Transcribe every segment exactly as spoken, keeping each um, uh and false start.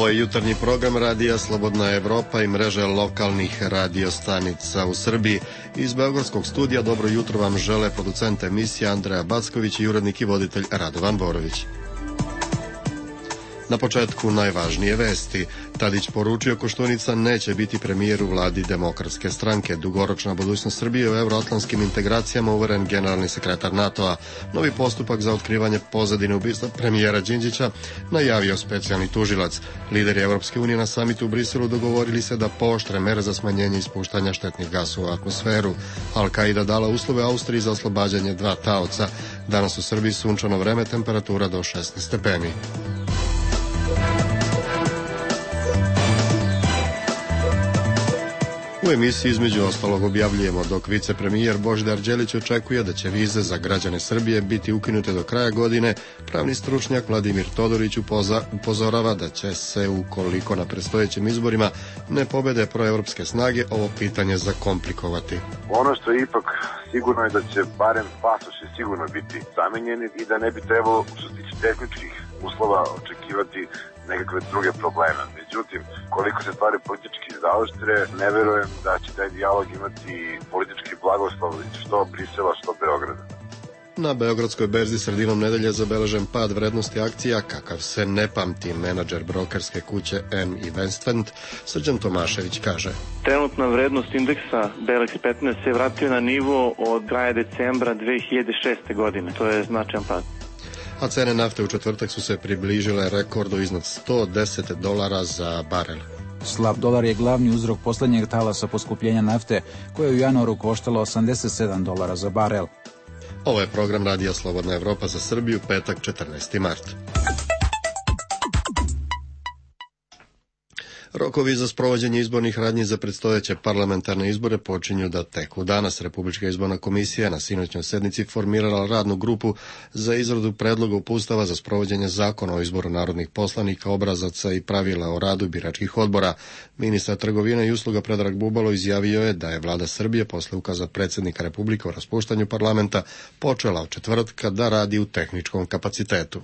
Ovo je jutarnji program Radija Slobodna Evropa i mreže lokalnih radiostanica u Srbiji. Iz beogradskog studija dobro jutro vam žele producent emisije Andreja Backović i urednik i voditelj Radovan Borović. Na početku najvažnije vesti. Tadić poručio Koštunica neće biti premijer u vladi Demokratske stranke. Dugoročna budućnost Srbije u euroatlantskim integracijama, uveren generalni sekretar NATO-a. Novi postupak za otkrivanje pozadine ubistva premijera Đinđića najavio specijalni tužilac. Lideri Evropske unije na samitu u Briselu dogovorili se da pooštre mere za smanjenje ispuštanja štetnih gasova u atmosferu. Al-Qaida dala uslove Austriji za oslobađanje dva taoca. Danas u Srbiji sunčano vreme, temperatura do šesnaest stepeni. U emisiji između ostalog objavljujemo dok vicepremijer Božidar Đelić očekuje da će vize za građane Srbije biti ukinute do kraja godine, pravni stručnjak Vladimir Todorić upoza, upozorava da će se, ukoliko na predstojećim izborima ne pobede proevropske snage, ovo pitanje zakomplikovati. Ono što je ipak sigurno je da će barem pasoši sigurno biti zamenjeni i da ne bi trebalo, što se tiče tehničkih uslova, očekivati nekakve druge probleme. Međutim, koliko se stvari politički zaoštre, ne verujem da će taj dijalog imati politički blagoslov što Brisela, što Beograda. Na Beogradskoj berzi sredinom nedelje zabeležen pad vrednosti akcija kakav se ne pamti. Menadžer brokerske kuće M Investment Srđan Tomašević kaže: Trenutna vrednost indeksa B L X petnaest se vratio na nivo od kraja decembra dve hiljade šeste. godine. To je značajan pad. A cene nafte u četvrtak su se približile rekordu iznad sto deset dolara za barel. Slab dolar je glavni uzrok poslednjeg talasa poskupljenja nafte, koje je u januaru koštalo osamdeset sedam dolara za barel. Ovo je program Radija Slobodna Evropa za Srbiju, petak četrnaesti mart. Rokovi za sprovođenje izbornih radnji za predstojeće parlamentarne izbore počinju da teku. Danas Republička izborna komisija na sinoćnoj sednici formirala radnu grupu za izradu predloga uputstava za sprovođenje zakona o izboru narodnih poslanika, obrazaca i pravila o radu biračkih odbora. Ministar trgovine i usluga Predrag Bubalo izjavio je da je vlada Srbije posle ukaza predsjednika Republike o raspuštanju parlamenta počela od četvrtka da radi u tehničkom kapacitetu.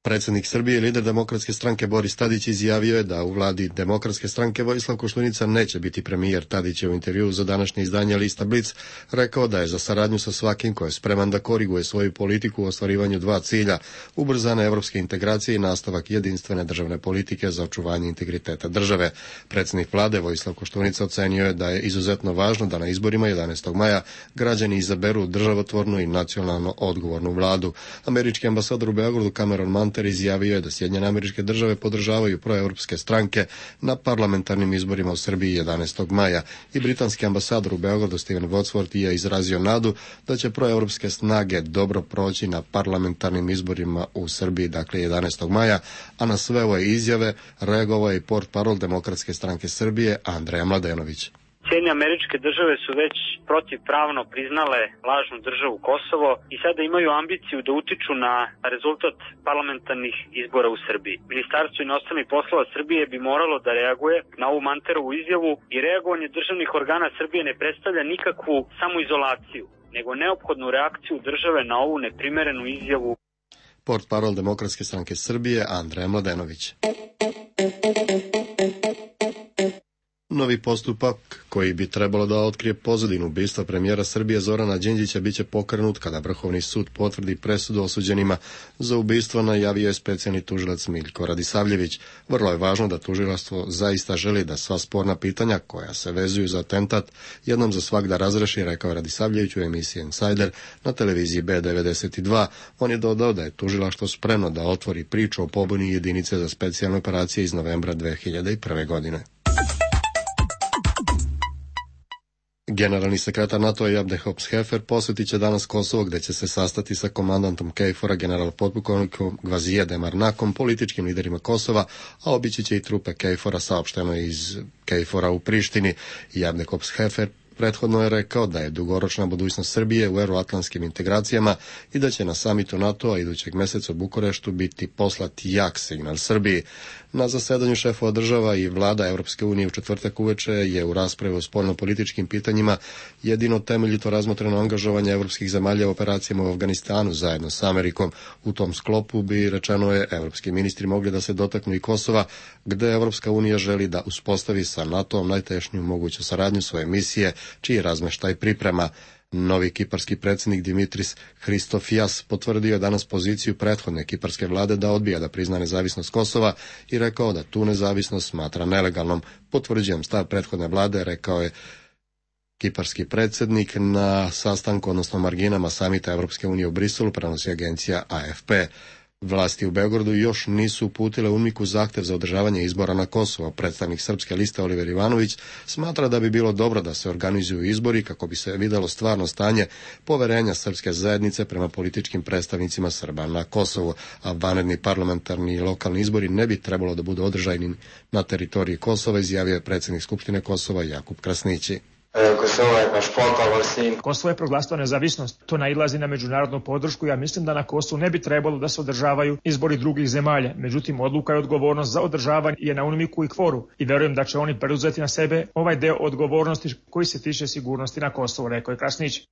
Predsjednik Srbije i lider Demokratske stranke Boris Tadić izjavio je da u vladi Demokratske stranke Vojislav Koštunica neće biti premijer. Tadić je u intervjuu za današnje izdanje lista Blic rekao da je za saradnju sa svakim ko je spreman da koriguje svoju politiku u ostvarivanju dva cilja: ubrzane evropske integracije i nastavak jedinstvene državne politike za očuvanje integriteta države. Predsjednik vlade Vojislav Koštunica ocenio je da je izuzetno važno da na izborima jedanaestog maja građani izaberu državotvornu i nacionalno odgovornu vladu. Američki ambasador u Beogradu Cameron Manter izjavio je da Sjedinjene Američke Države podržavaju proevropske stranke na parlamentarnim izborima u Srbiji jedanaestog maja i britanski ambasador u Beogradu Steven Wadsworth je izrazio nadu da će proevropske snage dobro proći na parlamentarnim izborima u Srbiji, dakle jedanaestog maja, a na sve ove izjave reagovao je i portparol Demokratske stranke Srbije Andreja Mladenović. Sjedinjene Američke Države su već protivpravno priznale lažnu državu Kosovo i sada imaju ambiciju da utiču na rezultat parlamentarnih izbora u Srbiji. Ministarstvo inostranih poslova Srbije bi moralo da reaguje na ovu Manterovu izjavu i reagovanje državnih organa Srbije ne predstavlja nikakvu samoizolaciju, nego neophodnu reakciju države na ovu neprimerenu izjavu. Portparol Demokratske stranke Srbije Andreja Mladenović. Novi postupak koji bi trebalo da otkrije pozadinu ubistva premijera Srbije Zorana Đinđića biće pokrenut kada Vrhovni sud potvrdi presudu osuđenima za ubistvo, najavio je specijalni tužilac Miljko Radisavljević. Vrlo je važno da tužilaštvo zaista želi da sva sporna pitanja koja se vezuju za atentat jednom za svagda razreši, rekao Radisavljević u emisiji Insider na televiziji B devedeset dva. On je dodao da je tužilaštvo spremno da otvori priču o pobuni jedinice za specijalne operacije iz novembra dve hiljade prve. godine. Generalni sekretar NATO Jabne Hops-Hefer posjetit će danas Kosovo, gde će se sastati sa komandantom Kejfora, general potpukovnikom Gvazije Demarnakom, političkim liderima Kosova, a obići će i trupe Kejfora, saopšteno iz Kejfora u Prištini. Jabne Hops-Hefer Prethodno je rekao da je dugoročna budućnost Srbije u euroatlantskim integracijama i da će na samitu NATO-a idućeg meseca u Bukureštu biti poslat jak signal Srbiji. Na zasedanju šefova država i vlada Europske unije u četvrtak uveče je u raspravi o spoljnopolitičkim pitanjima jedino temeljito razmotreno angažovanje evropskih zemalja u operacijama u Afganistanu zajedno s Amerikom. U tom sklopu bi, rečeno je, evropski ministri mogli da se dotaknu i Kosova, gde Evropska unija želi da uspostavi sa NATO-om najtešnju moguću saradnju svoje misije, čiji razmeštaj priprema. Novi kiparski predsjednik Dimitris Hristofijas potvrdio je danas poziciju prethodne kiparske vlade da odbija da prizna nezavisnost Kosova i rekao da tu nezavisnost smatra nelegalnom. Potvrđujem stav prethodne vlade, rekao je kiparski predsjednik na sastanku, odnosno marginama samita Evropske unije u Briselu, prenosi agencija A F P. Vlasti u Beogradu još nisu uputile UNMIK-u zahtev za održavanje izbora na Kosovo. Predstavnik srpske liste Oliver Ivanović smatra da bi bilo dobro da se organizuju izbori kako bi se videlo stvarno stanje poverenja srpske zajednice prema političkim predstavnicima Srba na Kosovu, a vanredni parlamentarni i lokalni izbori ne bi trebalo da budu održani na teritoriji Kosova, izjavio je predsjednik Skupštine Kosova Jakub Krasnići. Kosovo je proglasilo nezavisnost, to nailazi na međunarodnu podršku. Ja mislim da na Kosovu ne bi trebalo da se održavaju izbori drugih zemalja. Međutim, odluka i odgovornost za održavanje je na UNMIK-u i kvoru i verujem da će oni preuzeti na sebe ovaj deo odgovornosti koji se tiče sigurnosti na Kosovu, rekao je Krasnić.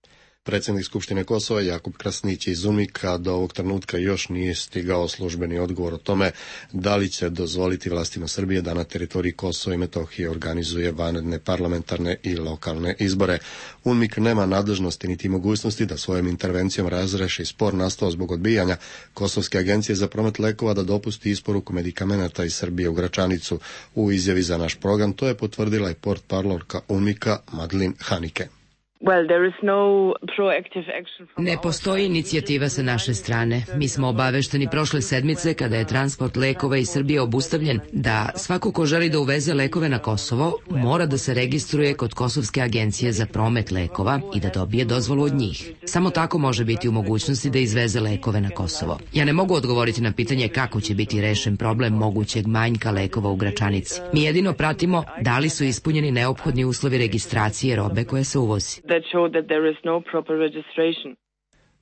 Predsjednik Skupštine Kosova Jakub Krasnić iz UNMIK-a do ovog trenutka još nije stigao službeni odgovor o tome da li će dozvoliti vlastima Srbije da na teritoriji Kosova i Metohije organizuje vanredne parlamentarne i lokalne izbore. UNMIK nema nadležnosti niti mogućnosti da svojom intervencijom razreši spor nastao zbog odbijanja Kosovske agencije za promet lekova da dopusti isporuku medikamenata iz Srbije u Gračanicu. U izjavi za naš program to je potvrdila i portparolka UNMIK-a Madeleine Hanike. Ne postoji inicijativa sa naše strane. Mi smo obavešteni prošle sedmice kada je transport lekova iz Srbije obustavljen da svako ko želi da uveze lekove na Kosovo mora da se registruje kod Kosovske agencije za promet lekova i da dobije dozvolu od njih. Samo tako može biti u mogućnosti da izveze lekove na Kosovo. Ja ne mogu odgovoriti na pitanje kako će biti rešen problem mogućeg manjka lekova u Gračanici. Mi jedino pratimo da li su ispunjeni neophodni uslovi registracije robe koje se uvozi. That show that there is no proper registration.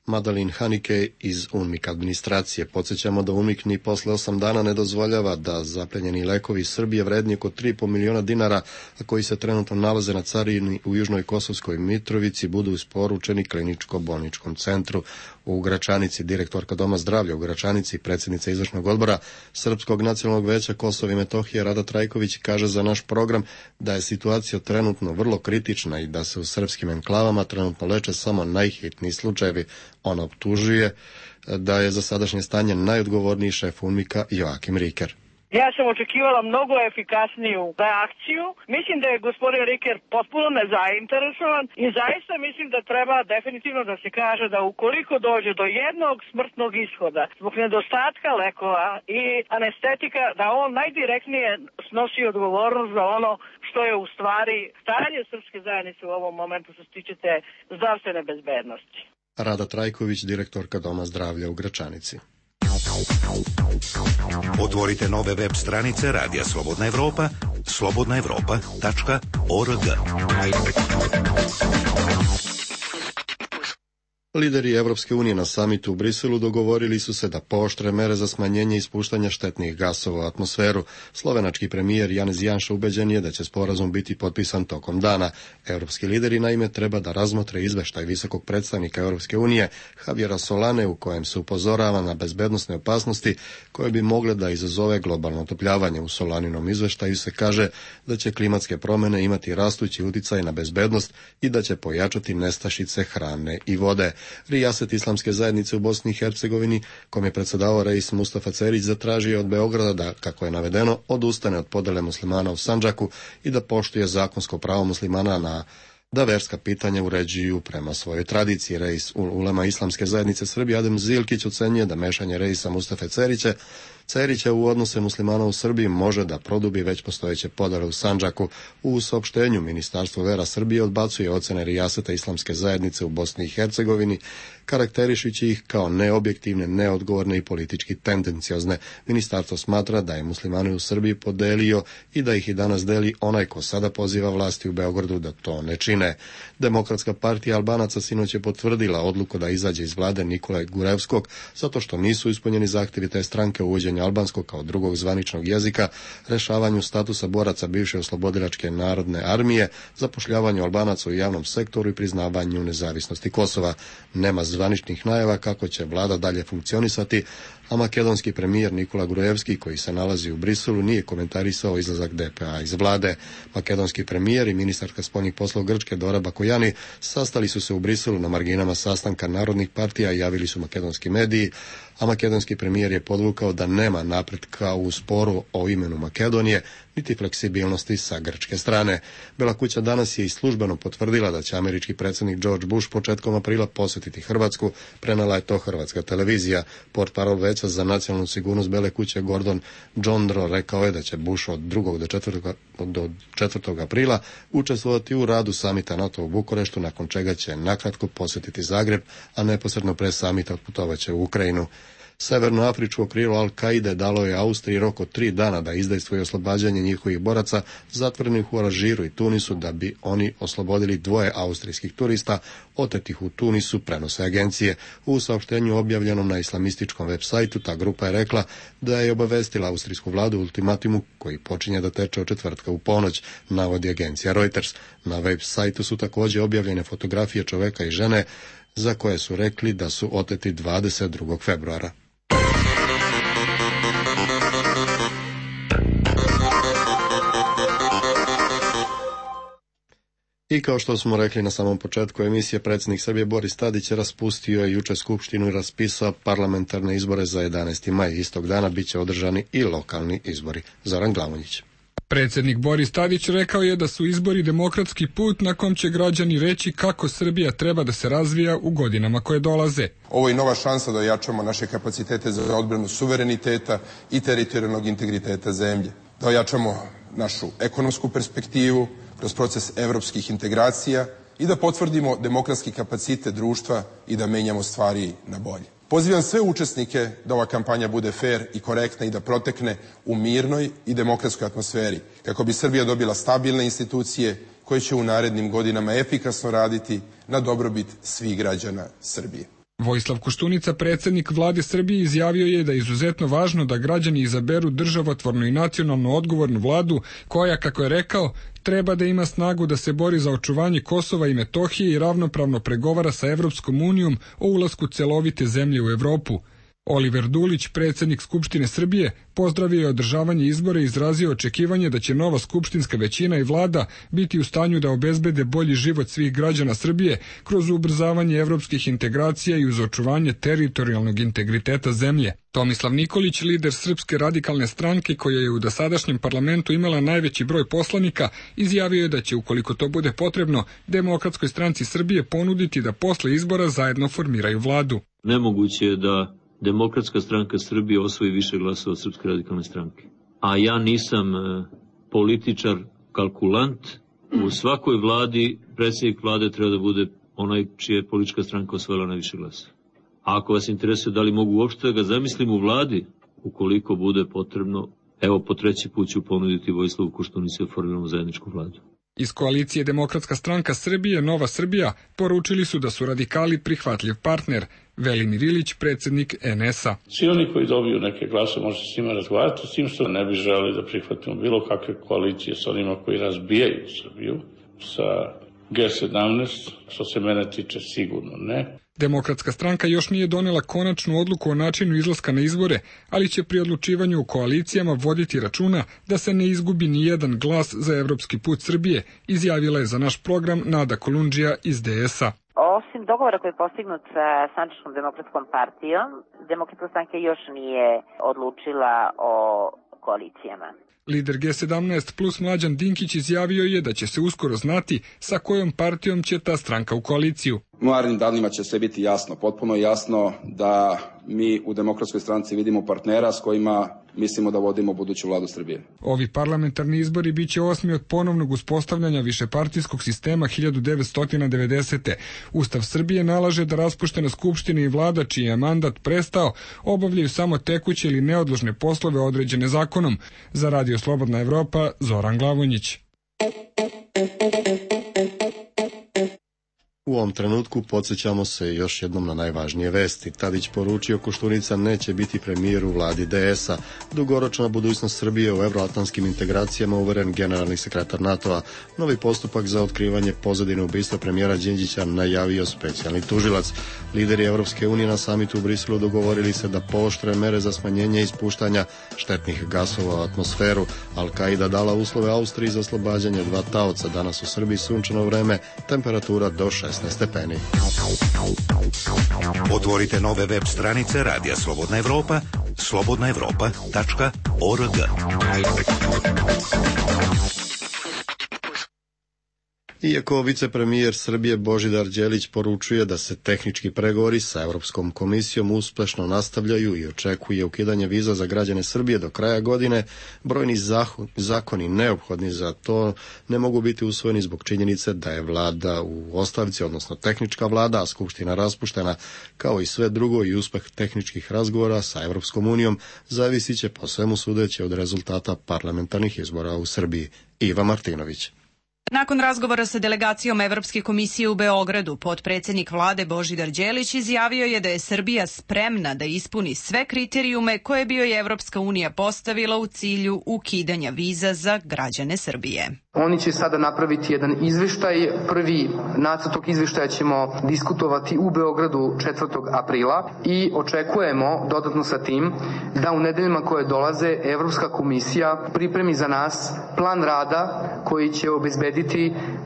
Madeleine Hanike iz UNMIK administracije. Podsjećamo da UNMIK ni posle osam dana ne dozvoljava da zaplenjeni lekovi iz Srbije vredni oko tri i po miliona dinara, a koji se trenutno nalaze na carini u Južnoj Kosovskoj Mitrovici, budu isporučeni kliničko-bolničkom centru u Gračanici. Direktorka Doma zdravlja u Gračanici i predsjednica izvršnog odbora Srpskog nacionalnog veća Kosova i Metohije Rada Trajković kaže za naš program da je situacija trenutno vrlo kritična i da se u srpskim enklavama trenutno leče samo najhitniji slučajevi. Ona optužuje da je za sadašnje stanje najodgovorniji šef UNMIK-a Joakim Riker. Ja sam očekivala mnogo efikasniju reakciju. Mislim da je gospodin Riker potpuno nezainteresovan i zaista mislim da treba definitivno da se kaže da ukoliko dođe do jednog smrtnog ishoda zbog nedostatka lekova i anestetika, da on najdirektnije snosi odgovornost za ono što je u stvari stanje srpske zajednice u ovom momentu što se tiče te zdravstvene bezbednosti. Rada Trajković, direktorka Doma zdravlja u Gračanici. Otvorite nove web stranice Radija Slobodna Evropa, slobodna evropa tačka org. Lideri Evropske unije na samitu u Briselu dogovorili su se da pooštre mere za smanjenje ispuštanja štetnih gasova u atmosferu. Slovenački premijer Janez Janša ubeđen je da će sporazum biti potpisan tokom dana. Evropski lideri naime treba da razmotre izveštaj visokog predstavnika Evropske unije Javiera Solane u kojem se upozorava na bezbednosne opasnosti koje bi mogle da izazove globalno otopljavanje. U Solaninom izveštaju se kaže da će klimatske promjene imati rastući uticaj na bezbednost i da će pojačati nestašice hrane i vode. Rijaset islamske zajednice u Bosni i Hercegovini, kom je predsjedavao reis Mustafa Cerić, zatražio od Beograda da, kako je navedeno, odustane od podele muslimana u Sandžaku i da poštuje zakonsko pravo muslimana na da verska pitanja uređuju prema svojoj tradiciji. Reis ulema islamske zajednice Srbije Adem Zilkić ocenjuje da mešanje reisa Mustafe Cerića Cerića u odnose muslimana u Srbiji može da produbi već postojeće podele u Sandžaku. U saopštenju Ministarstvo vera Srbije odbacuje ocene rijaseta islamske zajednice u Bosni i Hercegovini, karakterišući ih kao neobjektivne, neodgovorne i politički tendenciozne. Ministarstvo smatra da je muslimane u Srbiji podelio i da ih i danas deli onaj ko sada poziva vlasti u Beogradu da to ne čine. Demokratska partija Albanaca sinoć je potvrdila odluku da izađe iz vlade Nikole Gurevskog zato što nisu ispunjeni zahtjevi te stranke uvođenja albanskog kao drugog zvaničnog jezika, rešavanju statusa boraca bivše oslobodilačke narodne armije, zapošljavanju Albanaca u javnom sektoru i priznavanju nezavisnosti Kosova. Nema zvaničnih najava kako će vlada dalje funkcionisati, a makedonski premijer Nikola Grujevski, koji se nalazi u Briselu, nije komentarisao izlazak D P A iz vlade. Makedonski premijer i ministarka spoljnih poslova Grčke Dora Bakojani sastali su se u Briselu na marginama sastanka narodnih partija, javili su makedonski mediji, a makedonski premijer je podvukao da nema napretka u sporu o imenu Makedonije, niti fleksibilnosti sa grčke strane. Bela kuća danas je i službeno potvrdila da će američki predsjednik George Bush početkom aprila posjetiti Hrvatsku, prenela je to hrvatska televizija. Portparol Veća za nacionalnu sigurnost Bele kuće Gordon Johndro rekao je da će Bush od drugog do četvrtog do četvrtog aprila učestvovati u radu samita NATO u Bukureštu, nakon čega će nakratko posjetiti Zagreb, a neposredno pre samita otputovaće u Ukrajinu. Severnoafričko krilo Al-Kaide dalo je Austriji rok od tri dana da izdejstvuje oslobađanje njihovih boraca zatvorenih u Alžiru i Tunisu, da bi oni oslobodili dvoje austrijskih turista otetih u Tunisu, prenose agencije. U saopštenju objavljenom na islamističkom web sajtu ta grupa je rekla da je obavestila austrijsku vladu ultimatumu koji počinje da teče od četvrtka u ponoć, navodi agencija Reuters. Na web sajtu su također objavljene fotografije čoveka i žene za koje su rekli da su oteti dvadeset drugog februara. I kao što smo rekli na samom početku emisije, predsjednik Srbije Boris Tadić raspustio je jučer skupštinu i raspisao parlamentarne izbore za jedanaesti maj. Istog dana bit će održani i lokalni izbori. Zoran Glavonjić. Predsjednik Boris Tadić rekao je da su izbori demokratski put na kom će građani reći kako Srbija treba da se razvija u godinama koje dolaze. Ovo je nova šansa da ojačamo naše kapacitete za odbranu suvereniteta i teritorijalnog integriteta zemlje. Da ojačamo našu ekonomsku perspektivu kroz proces evropskih integracija i da potvrdimo demokratski kapacitet društva i da menjamo stvari na bolje. Pozivam sve učesnike da ova kampanja bude fer i korektna i da protekne u mirnoj i demokratskoj atmosferi, kako bi Srbija dobila stabilne institucije koje će u narednim godinama efikasno raditi na dobrobit svih građana Srbije. Vojislav Koštunica, predsjednik vlade Srbije, izjavio je da je izuzetno važno da građani izaberu državotvornu i nacionalno odgovornu vladu koja, kako je rekao, treba da ima snagu da se bori za očuvanje Kosova i Metohije i ravnopravno pregovara sa Evropskom unijom o ulasku celovite zemlje u Evropu. Oliver Dulić, predsjednik Skupštine Srbije, pozdravio je održavanje izbora i izrazio očekivanje da će nova skupštinska većina i vlada biti u stanju da obezbede bolji život svih građana Srbije kroz ubrzavanje evropskih integracija i uz očuvanje teritorijalnog integriteta zemlje. Tomislav Nikolić, lider Srpske radikalne stranke koja je u dosadašnjem parlamentu imala najveći broj poslanika, izjavio je da će, ukoliko to bude potrebno, Demokratskoj stranci Srbije ponuditi da posle izbora zajedno formiraju vladu. Nemoguće je da Demokratska stranka Srbije osvoji više glasova od Srpske radikalne stranke. A ja nisam e, političar, kalkulant. U svakoj vladi predsjednik vlade treba da bude onaj čija je politička stranka osvojila najviše glasova. A ako vas interesuje da li mogu uopšte da ga zamislim u vladi, ukoliko bude potrebno, evo po treći put ću ponuditi Vojislavu Koštunici da formiramo zajedničku vladu. Iz koalicije Demokratska stranka Srbije, Nova Srbija, poručili su da su radikali prihvatljiv partner. Velimir Ilić, predsjednik en es a. Svi oni koji dobiju neke glasove može s njima razgovarati, s tim što ne bi želeli da prihvatimo bilo kakve koalicije sa onima koji razbijaju Srbiju, sa ge sedamnaest, što se mene tiče sigurno ne. Demokratska stranka još nije donela konačnu odluku o načinu izlaska na izbore, ali će pri odlučivanju u koalicijama voditi računa da se ne izgubi ni jedan glas za evropski put Srbije, izjavila je za naš program Nada Kolundžija iz de es a. Osim dogovora koji je postignut sa Sandžačkom demokratskom partijom, Demokratska stranka još nije odlučila o koalicijama. Lider ge sedamnaest plus Mlađan Dinkić izjavio je da će se uskoro znati sa kojom partijom će ta stranka u koaliciju. U narednim danima će sve biti jasno, potpuno jasno da mi u Demokratskoj stranci vidimo partnera s kojima mislimo da vodimo buduću vladu Srbije. Ovi parlamentarni izbori biće osmi od ponovnog uspostavljanja višepartijskog sistema hiljadu devetsto devedesete. Ustav Srbije nalaže da raspuštena skupština i vlada čiji je mandat prestao obavljaju samo tekuće ili neodložne poslove određene zakonom. Za Radio Slobodna Evropa, Zoran Glavonjić. U ovom trenutku podsjećamo se još jednom na najvažnije vesti. Tadić poručio Koštunica neće biti premijer u vladi D S-a. Dugoročna budućnost Srbije u evroatlantskim integracijama, uveren generalni sekretar NATO-a. Novi postupak za otkrivanje pozadine ubistva premijera Đinđića najavio specijalni tužilac. Lideri Evropske unije na samitu u Briselu dogovorili se da pooštre mere za smanjenje ispuštanja štetnih gasova u atmosferu. Al-Qaida dala uslove Austriji za oslobađanje dva taoca. Danas u Srbiji sunčano vreme, temperatura do šesnaest stepeni. Otvorite nove web stranice Radija Slobodna Evropa, slobodna evropa tačka org. Iako vicepremijer Srbije Božidar Đelić poručuje da se tehnički pregovori sa Europskom komisijom uspešno nastavljaju i očekuje ukidanje viza za građane Srbije do kraja godine, brojni zakoni neophodni za to ne mogu biti usvojeni zbog činjenice da je vlada u ostavci, odnosno tehnička vlada, a skupština raspuštena, kao i sve drugo i uspeh tehničkih razgovora sa Europskom unijom zavisit će po svemu sudeći od rezultata parlamentarnih izbora u Srbiji. Iva Martinović. Nakon razgovora sa delegacijom Evropske komisije u Beogradu, potpredsjednik vlade Božidar Đelić izjavio je da je Srbija spremna da ispuni sve kriterijume koje bi joj Evropska unija postavila u cilju ukidanja viza za građane Srbije. Oni će sada napraviti jedan izveštaj. Prvi nacrt tog izveštaja ćemo diskutovati u Beogradu četvrtog aprila i očekujemo dodatno sa tim da u nedeljama koje dolaze Evropska komisija pripremi za nas plan rada koji će obezbediti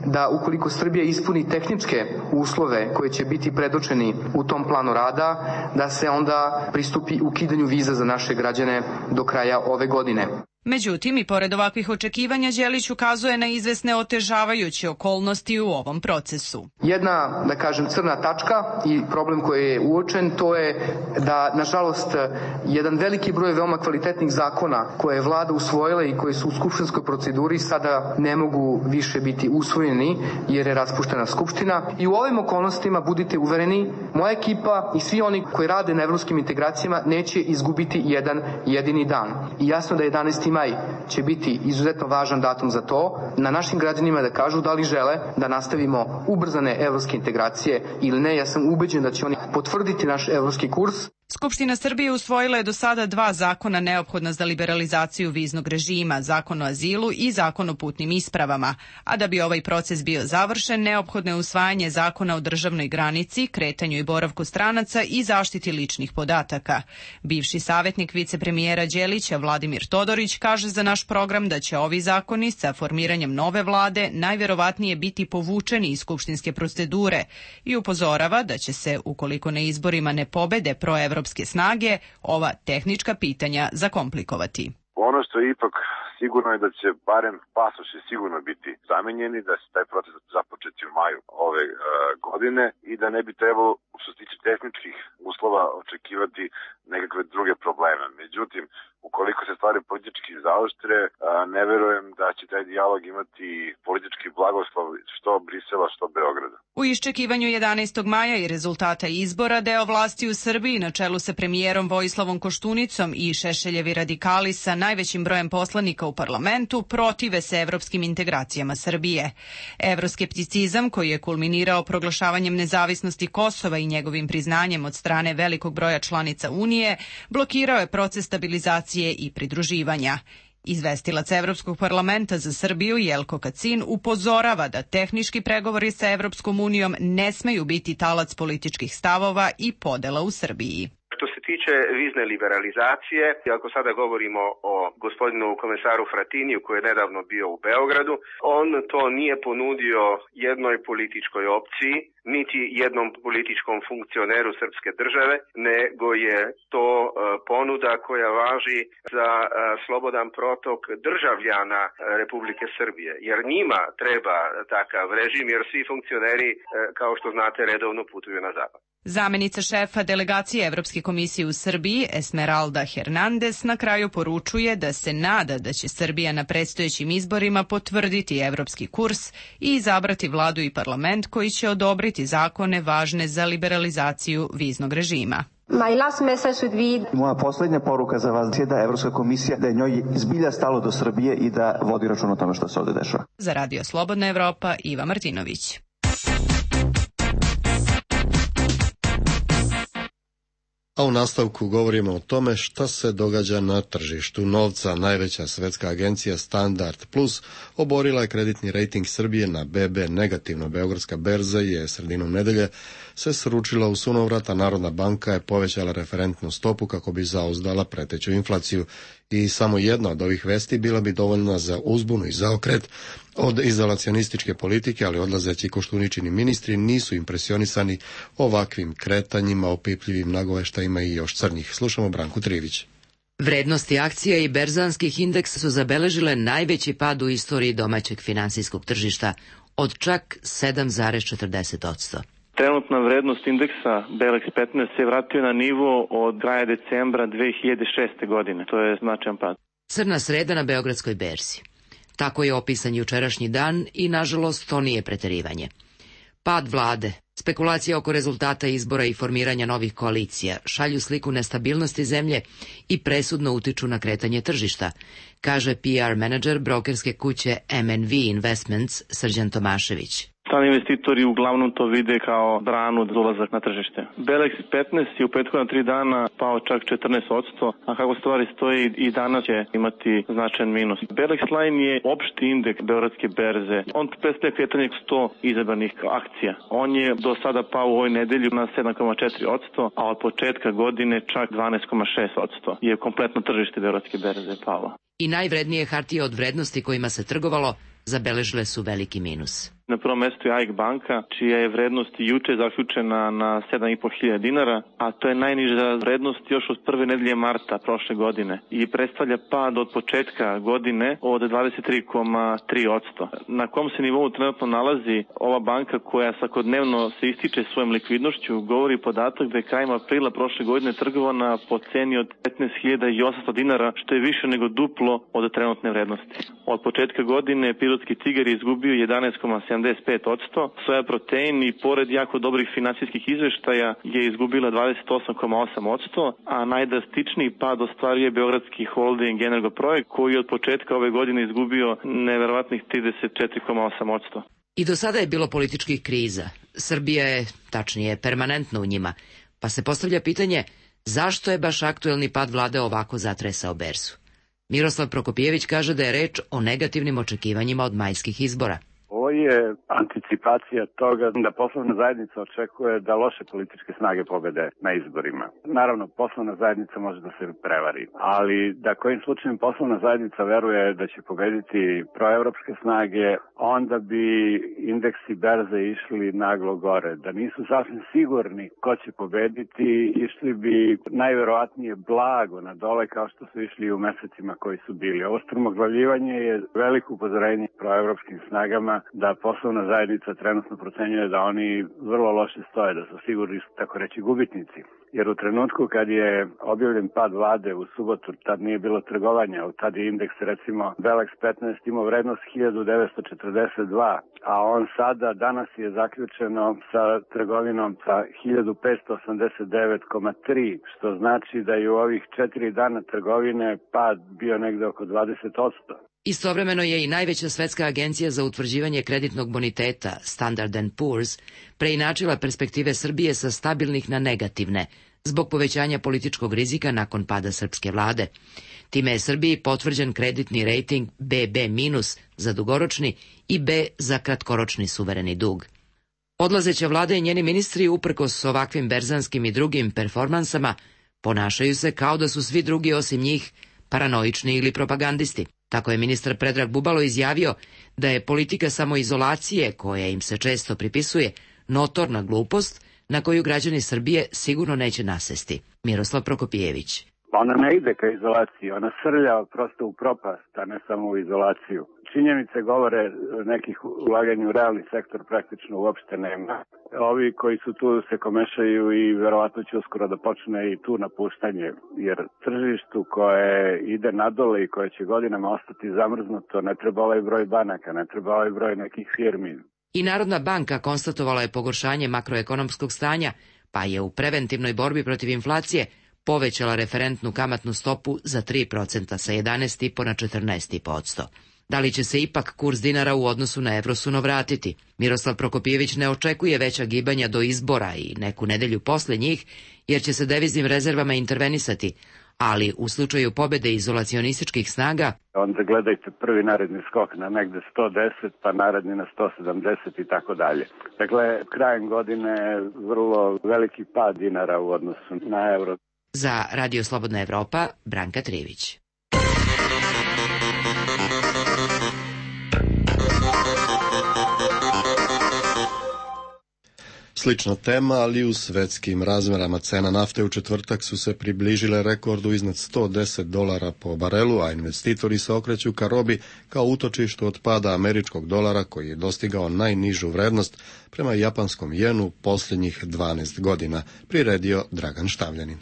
da ukoliko Srbija ispuni tehničke uslove koji će biti predočeni u tom planu rada, da se onda pristupi ukidanju viza za naše građane do kraja ove godine. Međutim, i pored ovakvih očekivanja, Đelić ukazuje na izvesne otežavajuće okolnosti u ovom procesu. Jedna, da kažem, crna tačka i problem koji je uočen, to je da, nažalost, jedan veliki broj veoma kvalitetnih zakona koje je vlada usvojila i koji su u skupštinskoj proceduri sada ne mogu više biti usvojeni jer je raspuštena skupština. I u ovim okolnostima, budite uvereni, moja ekipa i svi oni koji rade na evropskim integracijama neće izgubiti jedan jedini dan. I jasno da jedanaesti maj će biti izuzetno važan datum za to, na našim građanima da kažu da li žele da nastavimo ubrzane evropske integracije ili ne. Ja sam ubeđen da će oni potvrditi naš evropski kurs. Skupština Srbije usvojila je do sada dva zakona neophodna za liberalizaciju viznog režima, zakon o azilu i zakon o putnim ispravama, a da bi ovaj proces bio završen, neophodno je usvajanje zakona o državnoj granici, kretanju i boravku stranaca i zaštiti ličnih podataka. Bivši savjetnik vicepremijera Đelića, Vladimir Todorić, kaže za naš program da će ovi zakoni sa formiranjem nove vlade najverovatnije biti povučeni iz skupštinske procedure i upozorava da će se, ukoliko na izborima ne pobede proevropske evropske snage, ova tehnička pitanja zakomplikovati. Ono što je ipak sigurno je da će barem pasoši sigurno biti zamenjeni, da se taj proces započeti u maju ove uh, godine i da ne bi trebalo, što se tiče tehničkih uslova, očekivati nekakve druge probleme. Međutim, ukoliko se stvari politički zaoštre, uh, ne verujem da će taj dijalog imati politički blagoslov što Brisela, što Beograda. U iščekivanju jedanaestog maja i rezultata izbora, deo vlasti u Srbiji na čelu sa premijerom Vojislavom Koštunicom i Šešeljevi radikali sa najvećim brojem poslanika u parlamentu protive se evropskim integracijama Srbije. Evroskepticizam, koji je kulminirao proglašavanjem nezavisnosti Kosova i njegovim priznanjem od strane velikog broja članica Unije, blokirao je proces stabilizacije i pridruživanja. Izvestilac Evropskog parlamenta za Srbiju Jelko Kacin upozorava da tehnički pregovori sa Evropskom unijom ne smeju biti talac političkih stavova i podela u Srbiji. Što se tiče vizne liberalizacije, ako sada govorimo o gospodinu komesaru Fratiniju koji je nedavno bio u Beogradu, on to nije ponudio jednoj političkoj opciji, niti jednom političkom funkcioneru srpske države, nego je to ponuda koja važi za slobodan protok državljana Republike Srbije. Jer njima treba takav režim, jer svi funkcioneri, kao što znate, redovno putuju na zapad. Zamenica šefa delegacije Evropske komisije u Srbiji, Esmeralda Hernandez, na kraju poručuje da se nada da će Srbija na predstojećim izborima potvrditi evropski kurs i izabrati vladu i parlament koji će odobriti zakone važne za liberalizaciju viznog režima. Moja posljednja poruka za vas je da Evropska komisija, da je njoj zbilja stalo do Srbije i da vodi račun o tome što se ovde dešava. Za Radio Slobodna Evropa, Iva Martinović. A u nastavku govorimo o tome šta se događa na tržištu novca. Najveća svetska agencija Standard Plus oborila je kreditni rejting Srbije na be be negativno. Beogradska berza je sredinom nedelje se sručila u sunovrat, a Narodna banka je povećala referentnu stopu kako bi zauzdala preteću inflaciju. I samo jedna od ovih vesti bila bi dovoljna za uzbunu i zaokret od izolacionističke politike, ali odlazeći Koštuničini ministri nisu impresionisani ovakvim kretanjima, opipljivim nagoveštajima i još crnjih. Slušamo Branku Trivić. Vrednosti akcija i berzanskih indeksa su zabeležile najveći pad u istoriji domaćeg finansijskog tržišta, od čak sedam zarez četrdeset posto. Trenutna vrednost indeksa Belex petnaest se vratio na nivo od kraja decembra dve hiljade šeste. godine. To je značajan pad. Crna sreda na Beogradskoj berzi. Tako je opisan jučerašnji dan i, nažalost, to nije preterivanje. Pad vlade, spekulacija oko rezultata izbora i formiranja novih koalicija šalju sliku nestabilnosti zemlje i presudno utiču na kretanje tržišta, kaže P R menadžer brokerske kuće M N V Investments Srđan Tomašević. Strani investitori uglavnom to vide kao branu za ulazak na tržište. Belex petnaest je u prethodna tri dana pao čak četrnaest posto, a kako stvari stoji i danas će imati značajan minus. Belex Line je opšti indeks Beogradske berze. On predstavlja kretanje sto izabranih akcija. On je do sada pao u ovoj nedelji na sedam zarez četiri posto, a od početka godine čak dvanaest zarez šest posto je kompletno tržište Beogradske berze palo. I najvrednije hartije od vrednosti kojima se trgovalo zabeležile su veliki minus. Na prvom mestu je A I K banka, čija je vrednost juče zaključena na sedam i po hiljada dinara, a to je najniža vrednost još od prve nedelje marta prošle godine i predstavlja pad od početka godine od dvadeset tri zarez tri posto. Na kom se nivou trenutno nalazi ova banka koja svakodnevno se ističe svojom likvidnošću, govori podatak da je krajem aprila prošle godine trgovana po ceni od petnaest hiljada osamsto dinara, što je više nego duplo od trenutne vrednosti. Od početka godine Pirotski tigar je izgubio jedanaest zarez sedamdeset pet posto, Soja Protein i pored jako dobrih finansijskih izveštaja je izgubila dvadeset osam zarez osam posto, a najdrastičniji pad ostvaruje Beogradski holding Energoprojekt koji je od početka ove godine izgubio neverovatnih trideset četiri zarez osam posto. I do sada je bilo političkih kriza. Srbija je, tačnije, permanentno u njima, pa se postavlja pitanje zašto je baš aktuelni pad vlade ovako zatresao berzu. Miroslav Prokopijević kaže da je reč o negativnim očekivanjima od majskih izbora. Ovo je anticipacija toga da poslovna zajednica očekuje da loše političke snage pobede na izborima. Naravno, poslovna zajednica može da se prevari, ali da kojim slučajem poslovna zajednica veruje da će pobediti proevropske snage, onda bi indeksi berze išli naglo gore. Da nisu sasvim sigurni ko će pobediti, išli bi najverovatnije blago na dole kao što su išli u mesecima koji su bili. Ovo strmoglavljivanje je veliko upozorenje proevropskim snagama da poslovna zajednica trenutno procenjuje da oni vrlo loše stoje, da su sigurni, tako reći, gubitnici. Jer u trenutku kad je objavljen pad vlade u subotu, tad nije bilo trgovanja, tad je indeks, recimo, Belex petnaest imao vrednost hiljadu devetsto četrdeset dva, a on sada, danas je zaključeno sa trgovinom sa hiljadu petsto osamdeset devet zarez tri, što znači da je u ovih četiri dana trgovine pad bio negde oko dvadeset posto. Istovremeno je i najveća svetska agencija za utvrđivanje kreditnog boniteta, Standard and Poor's, preinačila perspektive Srbije sa stabilnih na negativne, zbog povećanja političkog rizika nakon pada srpske vlade. Time je Srbiji potvrđen kreditni rejting be be minus za dugoročni i B za kratkoročni suvereni dug. Odlazeća vlada i njeni ministri, uprkos ovakvim berzanskim i drugim performansama, Ponašaju se kao da su svi drugi osim njih paranoični ili propagandisti. Tako je ministar Predrag Bubalo izjavio da je politika samoizolacije, koja im se često pripisuje, notorna glupost na koju građani Srbije sigurno neće nasesti. Miroslav Prokopijević. Ona ne ide ka izolaciji, ona srlja prosto u propast, a ne samo u izolaciju. Činjenice govore nekih ulaganja u realni sektor praktično uopšte nema. Ovi koji su tu se komešaju i verovatno će uskoro da počne i tu napuštanje, jer tržištu koje ide nadole i koje će godinama ostati zamrznuto, ne treba ovaj broj banaka, ne treba ovaj broj nekih firmi. I Narodna banka konstatovala je pogoršanje makroekonomskog stanja, pa je u preventivnoj borbi protiv inflacije povećala referentnu kamatnu stopu za tri procenta sa jedanaest zarez pet na četrnaest zarez pet posto. Da li će se ipak kurs dinara u odnosu na evrosuno vratiti? Miroslav Prokopijević ne očekuje veća gibanja do izbora i neku nedelju posle njih, jer će se deviznim rezervama intervenisati, ali u slučaju pobede izolacionističkih snaga... Onda gledajte prvi naredni skok na negde sto deset, pa naredni na sto sedamdeset i tako dalje. Dakle, krajem godine vrlo veliki pad dinara u odnosu na evro. Za Radio Slobodna Evropa, Branka Trivić. Slična tema, ali u svetskim razmerama cena nafte u četvrtak su se približile rekordu iznad sto deset dolara po barelu, a investitori se okreću ka robi kao utočištu od pada američkog dolara koji je dostigao najnižu vrednost prema japanskom jenu posljednjih dvanaest godina, priredio Dragan Štavljanin.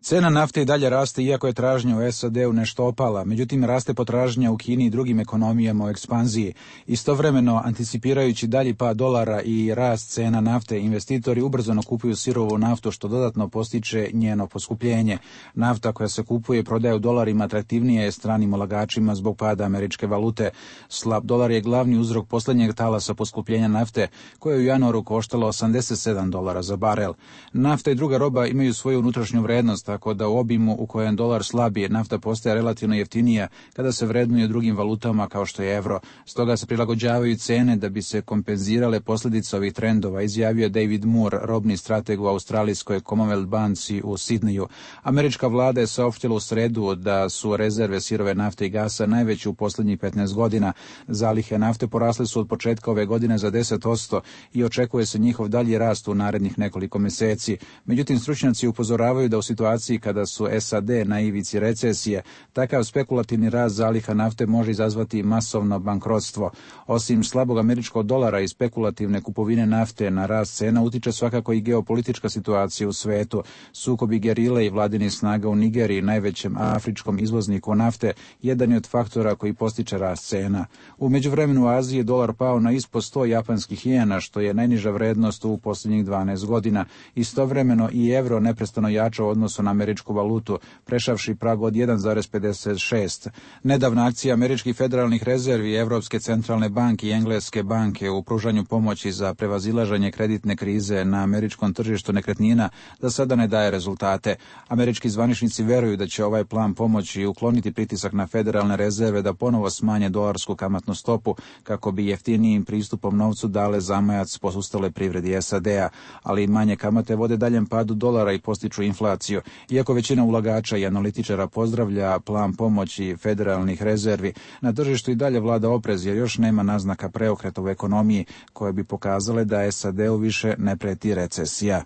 Cena nafte i dalje raste iako je tražnja u S A D-u nešto opala, međutim raste potražnja u Kini i drugim ekonomijama u ekspanziji. Istovremeno, anticipirajući dalji pad dolara i rast cena nafte, investitori ubrzano kupuju sirovu naftu što dodatno postiče njeno poskupljenje. Nafta koja se kupuje i prodaje u dolarima atraktivnija je stranim ulagačima zbog pada američke valute. Slab dolar je glavni uzrok posljednjeg talasa poskupljenja nafte, koje je u januaru koštalo osamdeset sedam dolara za barel. Nafta i druga roba imaju svoju unutrašnju vrednost, tako da u obimu u kojem dolar slabi, nafta postaje relativno jeftinija kada se vrednuje drugim valutama kao što je evro. Stoga se prilagođavaju cene da bi se kompenzirale posljedice ovih trendova, izjavio David Moore, robni strateg u australijskoj Commonwealth banci u Sidneju. Američka vlada je saopštila u sredu da su rezerve sirove nafte i gasa najveće u posljednjih petnaest godina. Zalihe nafte porasle su od početka ove godine za deset posto i očekuje se njihov dalji rast u narednih nekoliko mjeseci. Međutim, stručnjaci upozoravaju da u situaciji kada su S A D na ivici recesije, takav spekulativni rast zaliha nafte može izazvati masovno bankrotstvo. Osim slabog američkog dolara i spekulativne kupovine nafte na rast cena, utiče svakako i geopolitička situacija u svetu. Sukobi gerile i vladinih snaga u Nigeriji, najvećem afričkom izvozniku nafte, jedan je od faktora koji postiče rast cena. U međuvremenu u Aziji je dolar pao na ispod sto japanskih jena, što je najniža vrednost u posljednjih dvanaest godina. Istovremeno i evro neprestano jača u odnosu na američku valutu, prešavši prag od jedan zarez pedeset šest. Nedavna akcija američkih federalnih rezervi, Evropske centralne banke i Engleske banke u pružanju pomoći za prevazilaženje kreditne krize na američkom tržištu nekretnina da sada ne daje rezultate. Američki zvaničnici veruju da će ovaj plan pomoći ukloniti pritisak na federalne rezerve da ponovo smanje dolarsku kamatnu stopu kako bi jeftinijim pristupom novcu dale zamajac posustale privredi S A D-a, ali i manje kamate vode daljem padu dolara i postiču inflaciju. Iako većina ulagača i analitičara pozdravlja plan pomoći federalnih rezervi, na tržištu i dalje vlada oprez jer još nema naznaka preokreta u ekonomiji koje bi pokazale da S A D-u više ne preti recesija.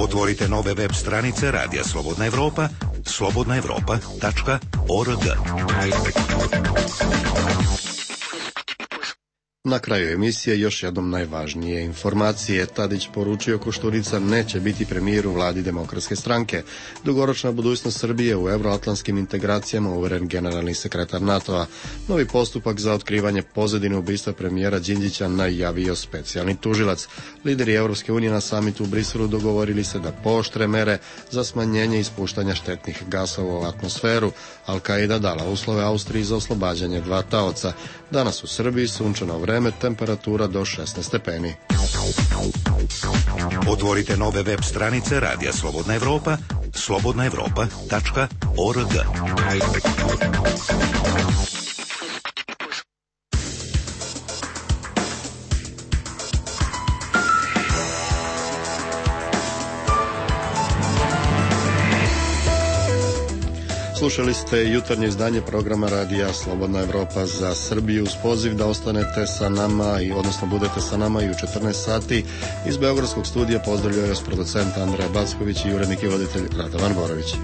Otvorite nove web stranice Radija Slobodna Evropa, slobodna evropa tačka org. Na kraju emisije još jednom najvažnije informacije. Tadić poručio Koštunica neće biti premijer u vladi Demokratske stranke. Dugoročna budućnost Srbije u euroatlantskim integracijama, uveren generalni sekretar NATO-a. Novi postupak za otkrivanje pozadine ubistva premijera Đinđića najavio specijalni tužilac. Lideri Europske unije na samitu u Briselu dogovorili se da pooštre mere za smanjenje ispuštanja štetnih gasova u atmosferu. Al-Qaida dala uslove Austriji za oslobađanje dva taoca. Danas u Srbiji sunčano vreme, temperatura do šesnaest stepeni. Otvorite nove web stranice Radija Slobodna Evropa, slobodna evropa tačka org. Slušali ste jutarnje izdanje programa radija Slobodna Evropa za Srbiju uz poziv da ostanete sa nama i odnosno budete sa nama i u četrnaest sati. Iz Beogradskog studija pozdravljaju vas producent Andreja Backović i urednik i voditelj Radovan Borović.